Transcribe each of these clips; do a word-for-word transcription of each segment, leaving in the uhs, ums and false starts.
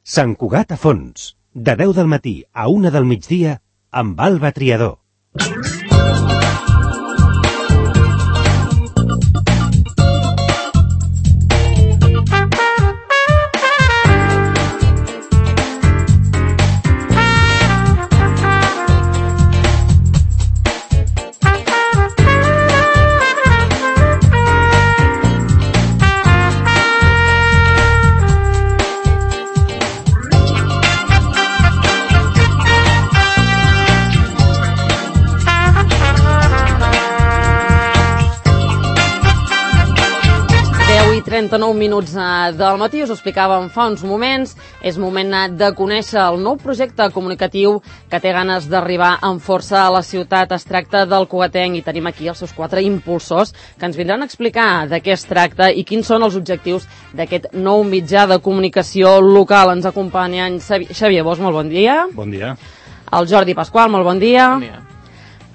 Sant Cugat a fons, de deu del matí a una del migdia, amb Alba Triador. trenta-nou minuts del matí, us ho explicàvem fa uns moments, és moment de conèixer el nou projecte comunicatiu que té ganes d'arribar amb força a la ciutat. Es tracta del Cugatenc i tenim aquí els seus quatre impulsors que ens vindran a explicar de què es tracta i quins són els objectius d'aquest nou mitjà de comunicació local. Ens acompanyen Xavier Bosch, molt bon dia. Bon dia. El Jordi Pasqual, molt bon dia. Bon dia.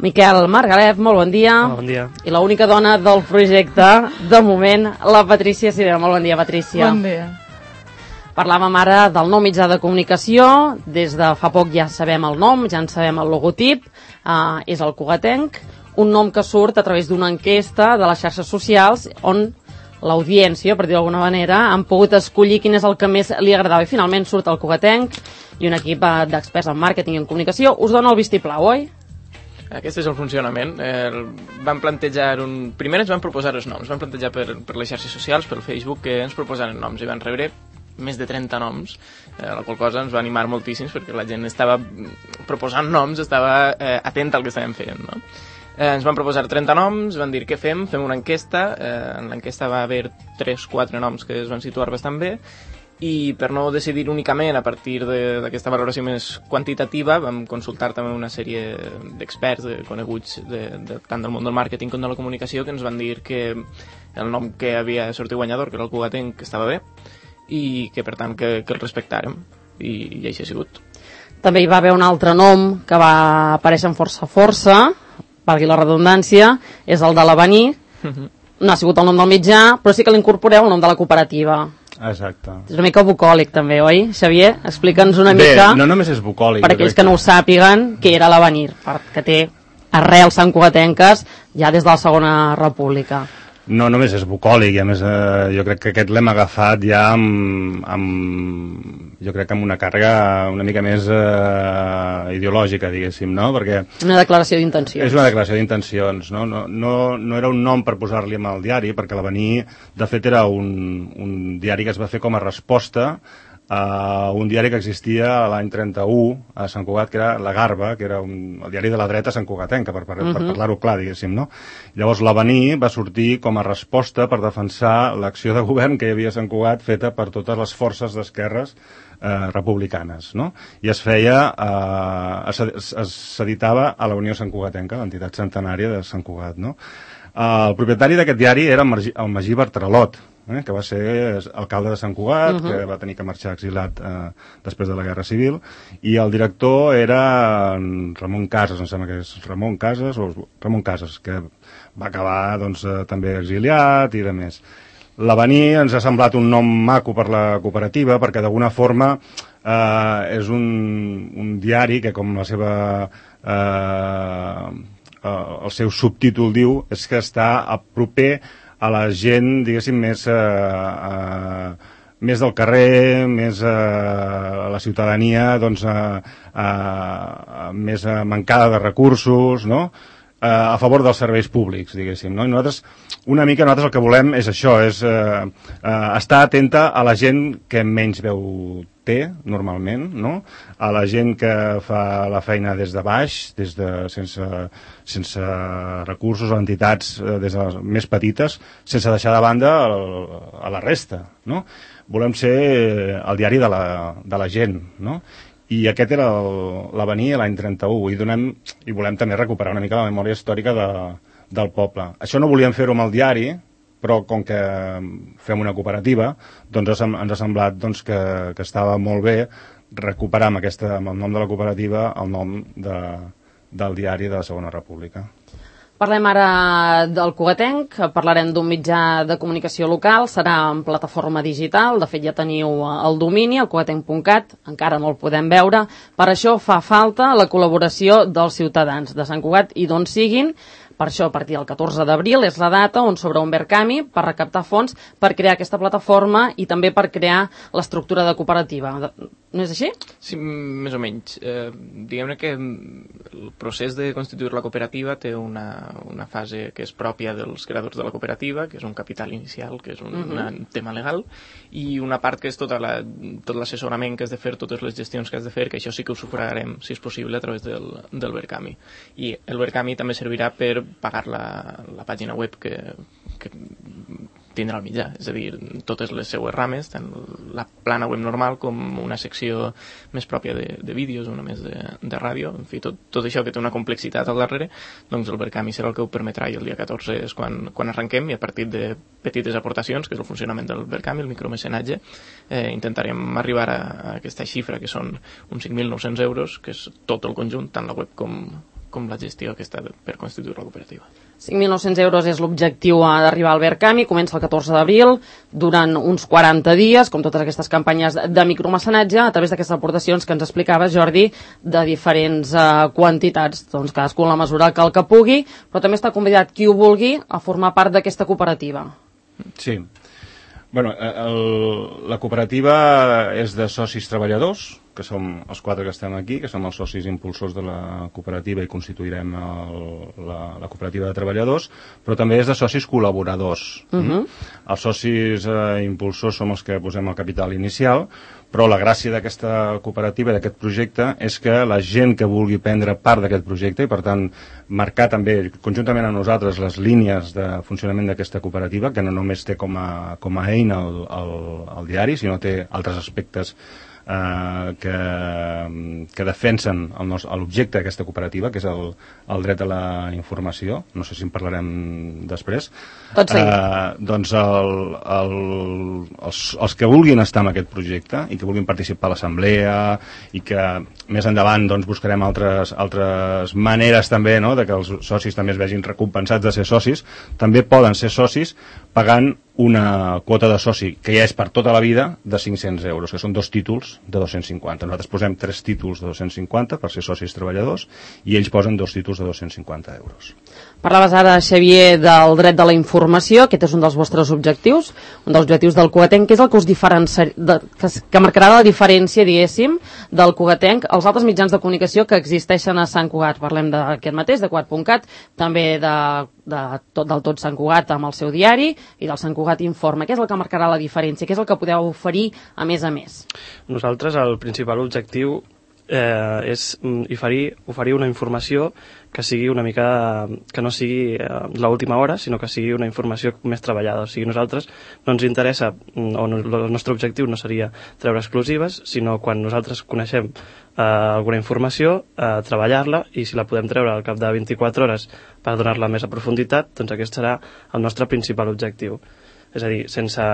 Miquel Margalef, molt bon dia. Hola, bon dia. I l'única dona del projecte, de moment, la Patrícia Sirera. Molt bon dia, Patrícia. Bon dia. Parlàvem ara del nou mitjà de comunicació. Des de fa poc ja sabem el nom, ja en sabem el logotip. Uh, és el Cugatenc, un nom que surt a través d'una enquesta de les xarxes socials on l'audiència, per dir d'alguna manera, han pogut escollir quin és el que més li agradava. I finalment surt el Cugatenc i un equip d'experts en màrqueting i en comunicació us dona el vistiplau, oi? Aquest és el funcionament. Eh, vam plantejar un... Primer ens van proposar els noms, vam plantejar per, per les xarxes socials, pel Facebook, que ens proposaren noms i van rebre més de trenta noms, eh, la qual cosa ens va animar moltíssims perquè la gent estava proposant noms, estava eh, atenta al que estàvem fent, no? Eh, ens van proposar trenta noms, van dir què fem, fem una enquesta, eh, en l'enquesta va haver tres quatre noms que es van situar bastant bé, i per no decidir únicament a partir d'aquesta valoració més quantitativa vam consultar també una sèrie d'experts de, coneguts de, de, tant del món del màrqueting com de la comunicació, que ens van dir que el nom que havia sortit guanyador, que era el Cugatenc, que estava bé i que per tant que, que el respectàrem, i, i així ha sigut. També hi va haver un altre nom que va aparèixer amb força força, valgui la redundància, és el de l'Avenir. No ha sigut el nom del mitjà, però sí que l'incorporeu el nom de la cooperativa. Exacte. És una mica bucòlic també, oi? Xavier, explica'ns una Bé, mica... no només és bucòlic. Per aquells que no ho sàpiguen, què era l'Avenir, que té arrels santcugatenques ja des de la Segona República. No només és bucòlic, i a més eh, jo crec que aquest l'hem agafat ja amb, amb, jo crec que amb una càrrega una mica més eh, ideològica, diguéssim, no? Perquè una declaració d'intencions. És una declaració d'intencions, no? No, no, no era un nom per posar-li amb el diari, perquè l'Avenir, de fet, era un, un diari que es va fer com a resposta a un diari que existia l'any trenta-u a Sant Cugat, que era La Garba, que era un, el diari de la dreta santcugatenca, per, per, uh-huh. per parlar-ho clar, diguéssim, no? Llavors l'Avenir va sortir com a resposta per defensar l'acció de govern que hi havia a Sant Cugat feta per totes les forces d'esquerres eh, republicanes, no? I es feia, eh, es s'editava a la Unió Santcugatenca, l'entitat centenària de Sant Cugat, no? Uh, el propietari d'aquest diari era el Magí, el Magí Bartralot, eh, que va ser alcalde de Sant Cugat, uh -huh. que va tenir que marxar exilat eh, després de la Guerra Civil, i el director era Ramon Casas, em sembla que és Ramon Casas, o Ramon Casas, que va acabar doncs, eh, també exiliat i de més. L'Avenir ens ha semblat un nom maco per la cooperativa, perquè d'alguna forma eh, és un, un diari que, com la seva... Eh, Uh, el seu subtítol diu és que està a proper a la gent, diguéssim, més, uh, uh, més del carrer, més uh, a la ciutadania, doncs, uh, uh, més uh, mancada de recursos, no? Uh, a favor dels serveis públics, diguéssim, no? I nosaltres, una mica, nosaltres el que volem és això, és uh, uh, estar atenta a la gent que menys veu té, normalment, no? A la gent que fa la feina des de baix, des de, sense, sense recursos, o entitats eh, des de les més petites, sense deixar de banda el, a la resta, no? Volem ser el diari de la, de la gent, no? I aquest era l'Avenir l'any trenta-u, i, donem, i volem també recuperar una mica la memòria històrica de, del poble. Això no volíem fer-ho amb el diari, però com que fem una cooperativa, doncs ens ha semblat doncs, que, que estava molt bé recuperar amb, aquesta, amb el nom de la cooperativa el nom de, del diari de la Segona República. Parlem ara del Cugatenc, parlarem d'un mitjà de comunicació local, serà en plataforma digital, de fet ja teniu el domini, el cugatenc punt cat, encara no el podem veure, per això fa falta la col·laboració dels ciutadans de Sant Cugat i d'on siguin. Per això, a partir del catorze d'abril és la data on s'obre un Verkami per recaptar fons per crear aquesta plataforma i també per crear l'estructura de cooperativa. No és així? Sí, més o menys. Eh, diguem-ne que el procés de constituir la cooperativa té una, una fase que és pròpia dels creadors de la cooperativa, que és un capital inicial, que és un, uh-huh. un tema legal, i una part que és tota la, tot l'assessorament que has de fer, totes les gestions que has de fer, que això sí que ho sufragarem, si és possible, a través del, del Verkami. I el Verkami també servirà per pagar la, la pàgina web que, que tindrà el mitjà, és a dir, totes les seues rames, tant la plana web normal com una secció més pròpia de, de vídeos, una més de, de ràdio, en fi, tot, tot això que té una complexitat al darrere, doncs el Verkami serà el que ho permetrà i el dia catorze és quan, quan arrenquem i a partir de petites aportacions, que és el funcionament del Verkami, el micromecenatge, eh, intentarem arribar a, a aquesta xifra que són uns cinc mil nou-cents euros, que és tot el conjunt, tant la web com com la gestió aquesta per constituir la cooperativa. cinc mil nou-cents euros és l'objectiu d'arribar al Verkami, comença el catorze d'abril, durant uns quaranta dies, com totes aquestes campanyes de micromecenatge, a través d'aquestes aportacions que ens explicaves, Jordi, de diferents uh, quantitats, doncs cadascú en la mesura que el que pugui, però també està convidat qui ho vulgui a formar part d'aquesta cooperativa. Sí. Bueno, el, la cooperativa és de socis treballadors, que som els quatre que estem aquí, que som els socis impulsors de la cooperativa i constituirem el, la, la cooperativa de treballadors, però també és de socis col·laboradors. Uh-huh. Els socis eh, impulsors som els que posem el capital inicial, però la gràcia d'aquesta cooperativa, d'aquest projecte, és que la gent que vulgui prendre part d'aquest projecte i, per tant, marcar també, conjuntament amb nosaltres, les línies de funcionament d'aquesta cooperativa, que no només té com a, com a eina el, el, el diari, sinó té altres aspectes Uh, que, que defensen l'objecte d'aquesta cooperativa, que és el, el dret a la informació. No sé si en parlarem després. Tot seguit. Uh, doncs el, el, els, els que vulguin estar en aquest projecte i que vulguin participar a l'assemblea i que més endavant doncs, buscarem altres, altres maneres també, no?, de que els socis també es vegin recompensats de ser socis, també poden ser socis pagant una quota de soci, que ja és per tota la vida, de cinc-cents euros, que són dos títols de dos-cents cinquanta. Nosaltres posem tres títols de dos-cents cinquanta per ser socis treballadors i ells posen dos títols de dos-cents cinquanta euros. Parlaves ara, Xavier, del dret de la informació, aquest és un dels vostres objectius, un dels objectius del Cugatenc, que és el que us diferencia, de, que, que marcarà la diferència, diguéssim, del Cugatenc als altres mitjans de comunicació que existeixen a Sant Cugat. Parlem d'aquest mateix, de cugat punt cat, també de, de tot, del tot Sant Cugat amb el seu diari i del Sant Cugat Informa. Què és el que marcarà la diferència? Què és el que podeu oferir a més a més? Nosaltres el principal objectiu eh, és oferir, oferir una informació que sigui una mica, que no sigui eh, l'última hora, sinó que sigui una informació més treballada. O sigui, nosaltres no ens interessa, o no, el nostre objectiu no seria treure exclusives, sinó quan nosaltres coneixem eh, alguna informació, eh, treballar-la, i si la podem treure al cap de vint-i-quatre hores per donar-la més a profunditat, doncs aquest serà el nostre principal objectiu. És a dir, sense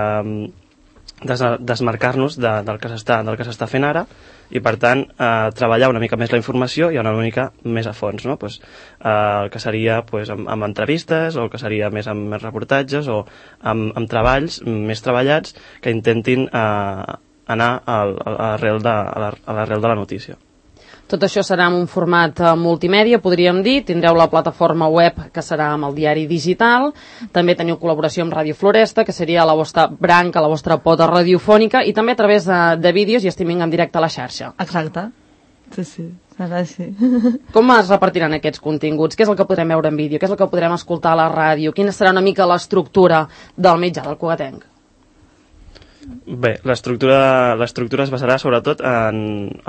des, desmarcar-nos de, del que s'està del que s'està fent ara, i per tant eh, treballar una mica més la informació i una mica més a fons, no? Pues, eh, el que seria pues, amb, amb entrevistes, o el que seria més amb més reportatges, o amb, amb treballs més treballats que intentin eh, anar al, a l'arrel de, a l'arrel de la notícia. Tot això serà en un format multimèdia, podríem dir. Tindreu la plataforma web, que serà amb el diari digital. També teniu col·laboració amb Ràdio Floresta, que seria la vostra branca, la vostra pota radiofònica, i també a través de, de vídeos i streaming en directe a la xarxa. Exacte. Sí, sí, serà així. Com es repartiran aquests continguts? Què és el que podrem veure en vídeo? Què és el que podrem escoltar a la ràdio? Quina serà una mica l'estructura del mitjà del Cugatenc? Bé, l'estructura l'estructura es basarà sobretot en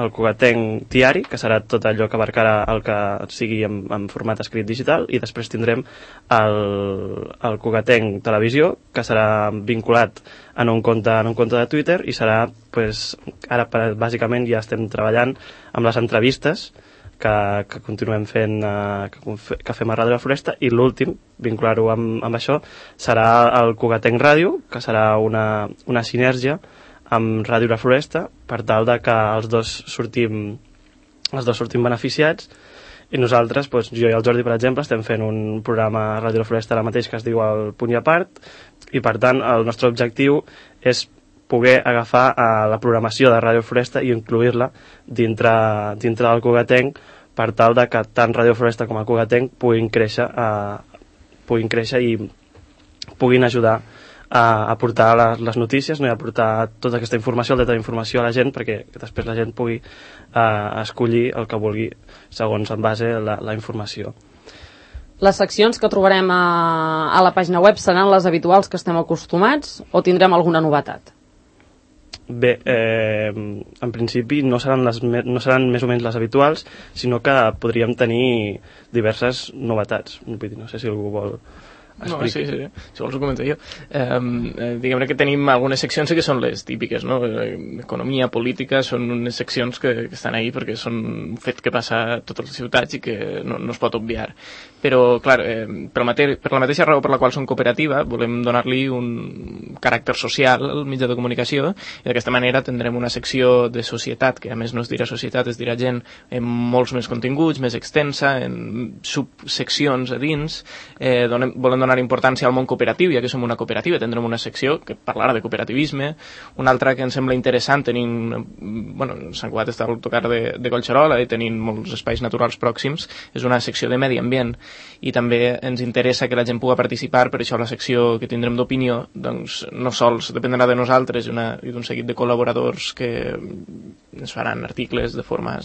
el Cugatenc diari, que serà tot allò que abarcarà el que sigui en, en format escrit digital, i després tindrem el, el Cugatenc televisió, que serà vinculat en un compte, en un compte de Twitter, i serà, pues, ara bàsicament ja estem treballant amb les entrevistes que, que continuem fent, eh, que, que fem a Ràdio Floresta, i l'últim, vincular-ho amb, amb això, serà el Cugatenc Ràdio, que serà una, una sinergia amb Ràdio La Floresta, per tal de que els dos sortim, els dos sortim beneficiats, I nosaltres, doncs, jo i el Jordi, per exemple, estem fent un programa a Ràdio La Floresta ara mateix que es diu El Punt i a Part, i per tant el nostre objectiu és poder agafar uh, la programació de Ràdio Floresta i incluir-la dintre, dintre del Cugatenc, per tal de que tant Ràdio Floresta com el Cugatenc puguin créixer, uh, puguin créixer i puguin ajudar a aportar les, les notícies, no? I aportar tota aquesta informació, el dret d'informació a la gent, perquè després la gent pugui eh, escollir el que vulgui segons en base a la, la informació. Les seccions que trobarem a, a la pàgina web seran les habituals que estem acostumats o tindrem alguna novetat? Bé, eh, en principi no seran, les, no seran més o menys les habituals, sinó que podríem tenir diverses novetats. Vull dir, no sé si algú vol... No, sí, sí, sí, si vols ho comento jo. Eh, eh, diguem-ne que tenim algunes seccions que són les típiques, no? Economia, política, són unes seccions que, que estan ahí perquè són un fet que passa a totes les ciutats i que no, no es pot obviar. Però, clar, eh, per, la mate per la mateixa raó per la qual som cooperativa, volem donar-li un caràcter social al mitjà de comunicació i d'aquesta manera tindrem una secció de societat, que a més no es dirà societat, es dirà gent, amb molts més continguts, més extensa, en subseccions a dins. Eh, donem, volem donar importància al món cooperatiu, ja que som una cooperativa, tindrem una secció que parlarà de cooperativisme, una altra que ens sembla interessant, tenint, bueno, Sant Cugat està al tocar de, de Collserola i tenint molts espais naturals pròxims, és una secció de medi ambient, i també ens interessa que la gent pugui participar, per això la secció que tindrem d'opinió, doncs no sols dependrà de nosaltres i d'un seguit de col·laboradors que ens faran articles de forma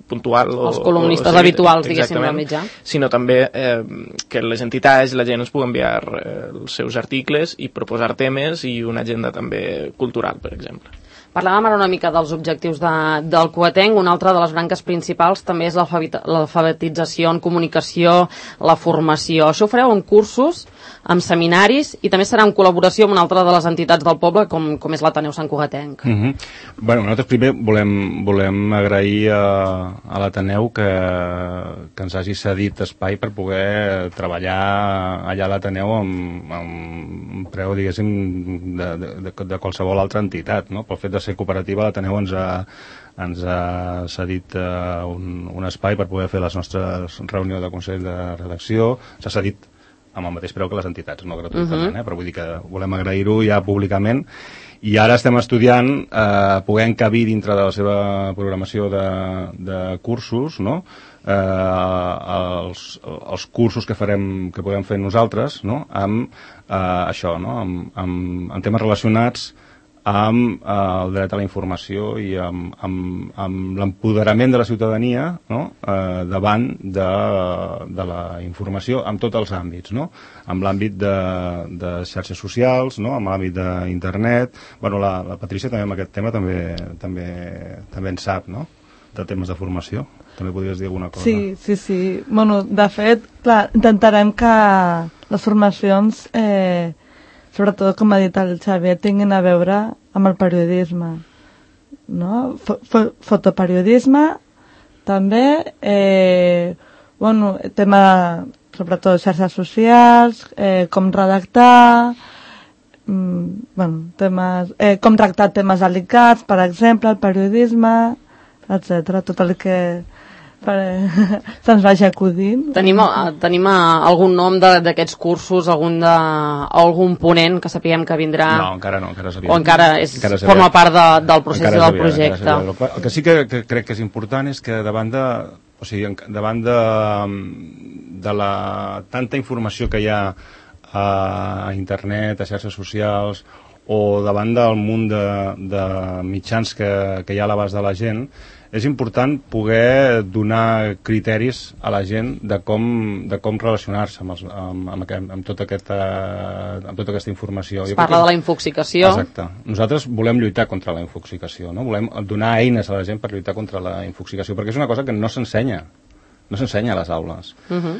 puntual. Els columnistes o, o sigui, habituals, diguéssim, del mitjà. Sinó també eh, que les entitats, la gent ens pugui enviar eh, els seus articles i proposar temes i una agenda també cultural, per exemple. Parlàvem ara una mica dels objectius de, del Cugatenc. Una altra de les branques principals també és l'alfabetització en comunicació, la formació. Això ho fareu en cursos, en seminaris, i també serà en col·laboració amb una altra de les entitats del poble, com, com és l'Ateneu Sant Cugatenc. Mm -hmm. Bueno, nosaltres primer volem, volem agrair a, a l'Ateneu que, que ens hagi cedit espai per poder treballar allà a l'Ateneu amb, amb un preu, diguéssim, de, de, de, de qualsevol altra entitat, no? Pel fet de ser cooperativa, l'Ateneu ens ha, ens ha cedit uh, un, un espai per poder fer les nostres reunions de Consell de Redacció. S'ha cedit amb el mateix preu que les entitats, no gratuïtament, uh-huh. eh? Però vull dir que volem agrair-ho ja públicament. I ara estem estudiant eh, poder encabir dintre de la seva programació de, de cursos, no? Eh, els, els cursos que farem, que podem fer nosaltres, no? Amb eh, això, no? Amb, amb, amb temes relacionats amb eh, el dret a la informació i amb, amb, amb l'empoderament de la ciutadania, no? eh, davant de, de la informació en tots els àmbits, no? Amb l'àmbit de, de xarxes socials, no? Amb l'àmbit d'internet. Bueno, la, la Patrícia també amb aquest tema també, també, també en sap, no? De temes de formació. També podries dir alguna cosa? Sí, sí, sí. Bueno, de fet, clar, intentarem que les formacions... Eh, sobretot, com ha dit el Xavier, tinguin a veure amb el periodisme, no? Fo fo fotoperiodisme, també, eh, bueno, tema, sobretot, xarxes socials, eh, com redactar, mm, bueno, temes, eh, com tractar temes delicats, per exemple, el periodisme, etcètera, tot el que se'ns vagi acudint. Tenim, tenim algun nom d'aquests cursos, algun, de, algun ponent que sapiguem que vindrà? No, encara no, encara o encara, és, encara forma part de, del procés i del projecte. El que sí que, que crec que és important és que davant de, o sigui, davant de, de la tanta informació que hi ha a internet, a xarxes socials, o davant del munt de, de mitjans que, que hi ha a l'abast de la gent, és important poder donar criteris a la gent de com, de com relacionar-se amb, els, amb, amb, aquest, amb, tota aquesta, amb tota aquesta informació. Es parla que... de la infoxicació. Exacte. Nosaltres volem lluitar contra la infoxicació, no? Volem donar eines a la gent per lluitar contra la infoxicació, perquè és una cosa que no s'ensenya, no s'ensenya a les aules. Uh-huh.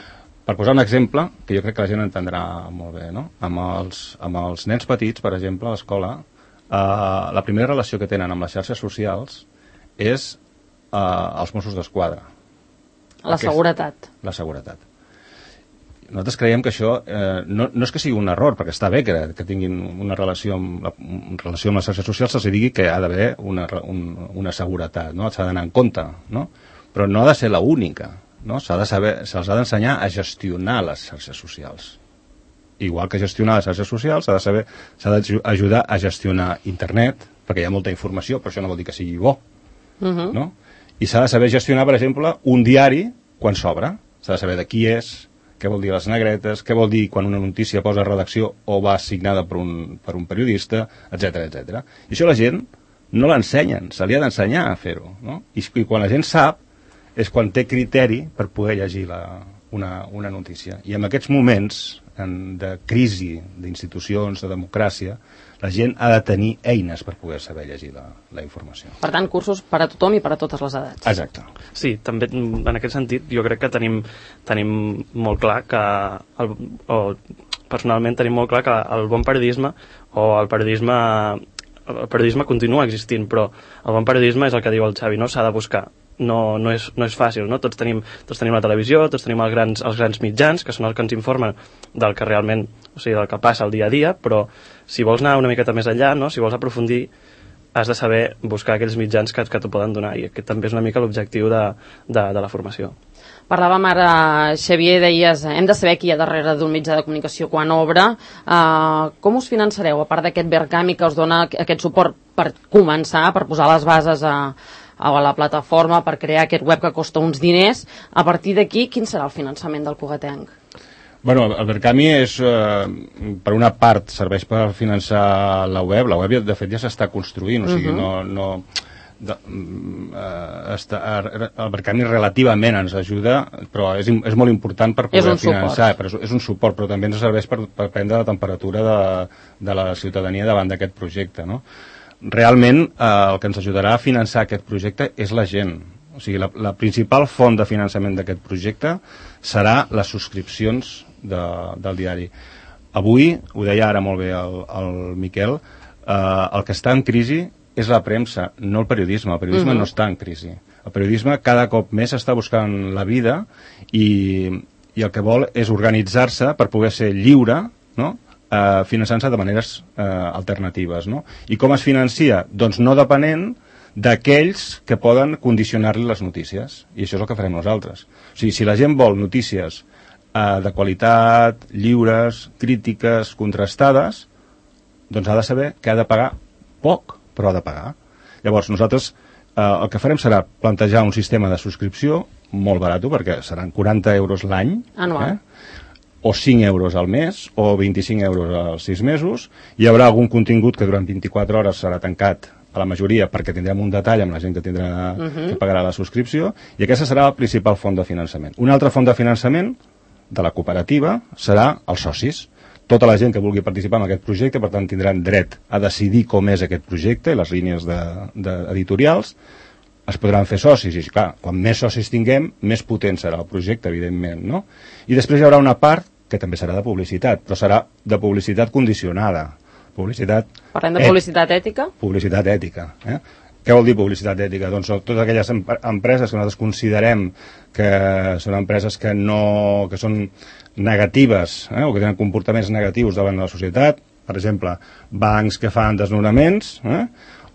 Per posar un exemple, que jo crec que la gent entendrà molt bé, no? Amb els, amb els nens petits, per exemple, a l'escola, eh, la primera relació que tenen amb les xarxes socials és Uh, els Mossos d'Esquadra. La Aquest, seguretat. La seguretat. Nosaltres creiem que això eh, no, no és que sigui un error, perquè està bé que, que tinguin una relació amb, la, una relació amb les xarxes socials, se'ls digui que ha d'haver una, un, una seguretat, no? S'ha d'anar en compte, no? Però no ha de ser l'única, no? S'ha de saber, se'ls ha d'ensenyar a gestionar les xarxes socials. Igual que gestionar les xarxes socials, s'ha de saber, s'ha d'ajudar a gestionar internet, perquè hi ha molta informació, però això no vol dir que sigui bo, uh-huh. no? I s'ha de saber gestionar, per exemple, un diari quan s'obre. S'ha de saber de qui és, què vol dir les negretes, què vol dir quan una notícia posa redacció o va signada per un, per un periodista, etcètera, etcètera. I això la gent no l'ensenyen, se li ha d'ensenyar a fer-ho, no? I, I quan la gent sap és quan té criteri per poder llegir la, una, una notícia. I en aquests moments en, de crisi d'institucions, de democràcia, la gent ha de tenir eines per poder saber llegir la, la informació. Per tant, cursos per a tothom i per a totes les edats. Exacte. Sí, també en aquest sentit jo crec que tenim, tenim molt clar que el, o personalment tenim molt clar que el bon periodisme o el periodisme el periodisme continua existint, però el bon periodisme és el que diu el Xavi, no? S'ha de buscar. No, no, és, no és fàcil, no? Tots tenim, tots tenim la televisió, tots tenim els grans, els grans mitjans, que són els que ens informen del que realment, o sigui, del que passa el dia a dia, però si vols anar una miqueta més enllà, no? Si vols aprofundir, has de saber buscar aquells mitjans que, que t'ho poden donar, i aquest també és una mica l'objectiu de, de, de la formació. Parlàvem ara, Xavier, deies, hem de saber qui hi ha darrere d'un mitjà de comunicació quan obre. Uh, com us finançareu, a part d'aquest Verkami que us dona aquest suport per començar, per posar les bases a, a la plataforma, per crear aquest web que costa uns diners? A partir d'aquí, quin serà el finançament del Cugatenc? Bueno, el Verkami és, eh, per una part, serveix per finançar la web. La web, de fet, ja s'està construint, o sigui, uh-huh. no... no de, uh, està, el Verkami relativament ens ajuda, però és, és molt important per poder finançar, però és, és un suport, però també ens serveix per, per prendre la temperatura de, de la ciutadania davant d'aquest projecte, no? Realment eh, el que ens ajudarà a finançar aquest projecte és la gent. O sigui, la, la principal font de finançament d'aquest projecte serà les subscripcions de, del diari. Avui, ho deia ara molt bé el, el Miquel, eh, el que està en crisi és la premsa, no el periodisme. El periodisme uh-huh. no està en crisi. El periodisme cada cop més està buscant la vida i, i el que vol és organitzar-se per poder ser lliure, no? eh, finançant-se de maneres eh, alternatives. No? I com es financia? Doncs no depenent d'aquells que poden condicionar-li les notícies. I això és el que farem nosaltres. O sigui, si la gent vol notícies eh, de qualitat, lliures, crítiques, contrastades, doncs ha de saber que ha de pagar poc, però ha de pagar. Llavors, nosaltres eh, el que farem serà plantejar un sistema de subscripció molt barat, perquè seran quaranta euros l'any, anual. Eh? O cinc euros al mes, o vint-i-cinc euros als sis mesos. Hi haurà algun contingut que durant vint-i-quatre hores serà tancat a la majoria, perquè tindrem un detall amb la gent que, tindrà, uh-huh. que pagarà la subscripció, i aquesta serà la principal font de finançament. Una altra font de finançament de la cooperativa serà els socis. Tota la gent que vulgui participar en aquest projecte, per tant, tindran dret a decidir com és aquest projecte i les línies de, de editorials, es podran fer socis, i clar, quan més socis tinguem, més potent serà el projecte, evidentment, no? I després hi haurà una part que també serà de publicitat, però serà de publicitat condicionada. Publicitat... Parlem de publicitat et... ètica? Publicitat ètica, eh? Què vol dir publicitat ètica? Doncs són totes aquelles empreses que nosaltres considerem que són empreses que no, que són negatives, eh, o que tenen comportaments negatius davant de la societat, per exemple, bancs que fan desnonaments, eh,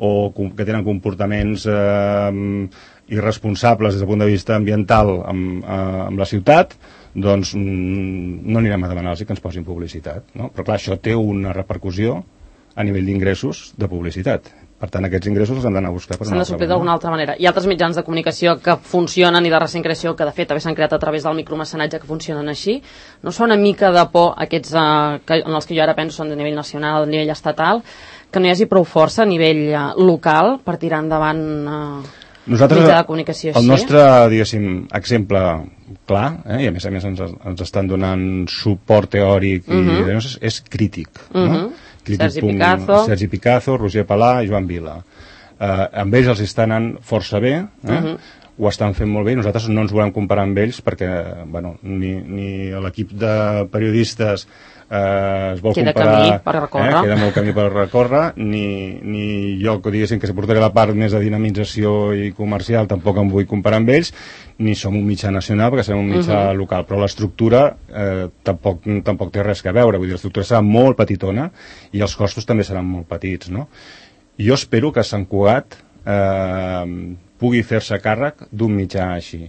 o que tenen comportaments eh, irresponsables des del punt de vista ambiental amb, eh, amb la ciutat, doncs no anirem a demanar-los que ens posin publicitat, no? Però clar, això té una repercussió a nivell d'ingressos de publicitat. Per tant, aquests ingressos els hem d'anar a buscar per una altra manera. S'han de suplir d'alguna altra manera. Hi ha altres mitjans de comunicació que funcionen i de recent creació, que de fet també s'han creat a través del micromecenatge, que funcionen així. No són una mica de por aquests eh, que, en els que jo ara penso són de nivell nacional, de nivell estatal, que no hi hagi prou força a nivell eh, local per tirar endavant eh, Nosaltres, mitjà de comunicació així? El nostre, diguéssim, exemple clar, eh, i a més a més ens, ens estan donant suport teòric i uh-huh. és, és crític, uh-huh. no? Sergi Picazo. Sergi Picazo, Roger Palà i Joan Vila. Eh, amb ells els està anant força bé, eh? Uh-huh. Ho estan fent molt bé, nosaltres no ens volem comparar amb ells perquè bueno, ni, ni l'equip de periodistes eh, es vol queda comparar... Camí per recórrer. Eh, queda molt camí per recórrer, ni, ni jo que diguéssim que s'aportaré la part més de dinamització i comercial tampoc em vull comparar amb ells, ni som un mitjà nacional perquè som un mitjà uh-huh. local, però l'estructura eh, tampoc, tampoc té res a veure, vull dir, l'estructura serà molt petitona i els costos també seran molt petits, no? Jo espero que Sant Cugat eh, pugui fer-se càrrec d'un mitjà així.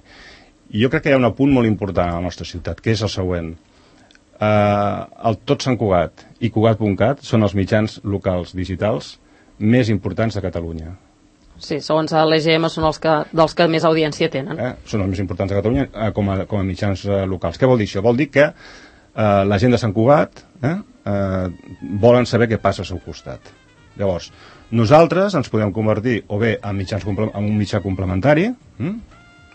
I jo crec que hi ha un apunt molt important a la nostra ciutat, que és el següent. Uh, el Tot Sant Cugat i Cugat punt cat són els mitjans locals digitals més importants de Catalunya. Sí, segons l'E G M són els que, dels que més audiència tenen. Eh? Són els més importants de Catalunya eh, com, a, com a mitjans eh, locals. Què vol dir això? Vol dir que eh, la gent de Sant Cugat eh, eh, volen saber què passa al seu costat. Llavors, nosaltres ens podem convertir o bé en, mitjans, en un mitjà complementari, hm?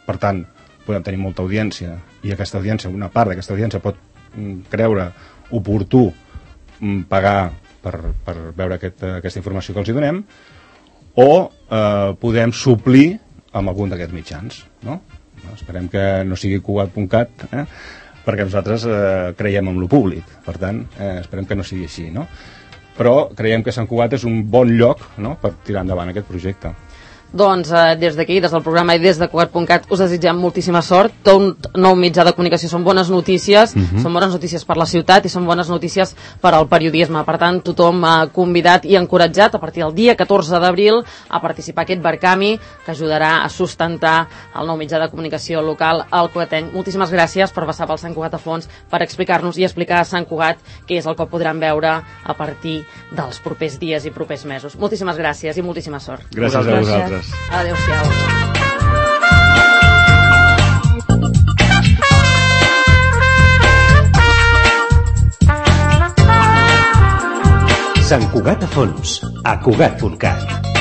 Per tant, podem tenir molta audiència i aquesta audiència, una part d'aquesta audiència pot mm, creure oportú mm, pagar per, per veure aquest, aquesta informació que els hi donem, o eh, podem suplir amb algun d'aquests mitjans, no? Esperem que no sigui Cugat punt cat, eh? Perquè nosaltres eh, creiem en lo públic, per tant, eh, esperem que no sigui així, no? Però creiem que Sant Cugat és un bon lloc, no?, per tirar endavant aquest projecte. Doncs eh, des d'aquí, des del programa i des de Cugat punt cat us desitgem moltíssima sort. Tot un nou mitjà de comunicació són bones notícies, uh -huh. són bones notícies per la ciutat i són bones notícies per al periodisme. Per tant, tothom eh, convidat i encoratjat a partir del dia catorze d'abril a participar aquest Barcami que ajudarà a sustentar el nou mitjà de comunicació local al Cugatenc. Moltíssimes gràcies per passar pel Sant Cugat a fons, per explicar-nos i explicar a Sant Cugat què és el que podran veure a partir dels propers dies i propers mesos. Moltíssimes gràcies i moltíssima sort. Gràcies a vosaltres. Adéu-siau. Sant Cugat a fons, a Cugat punt cat.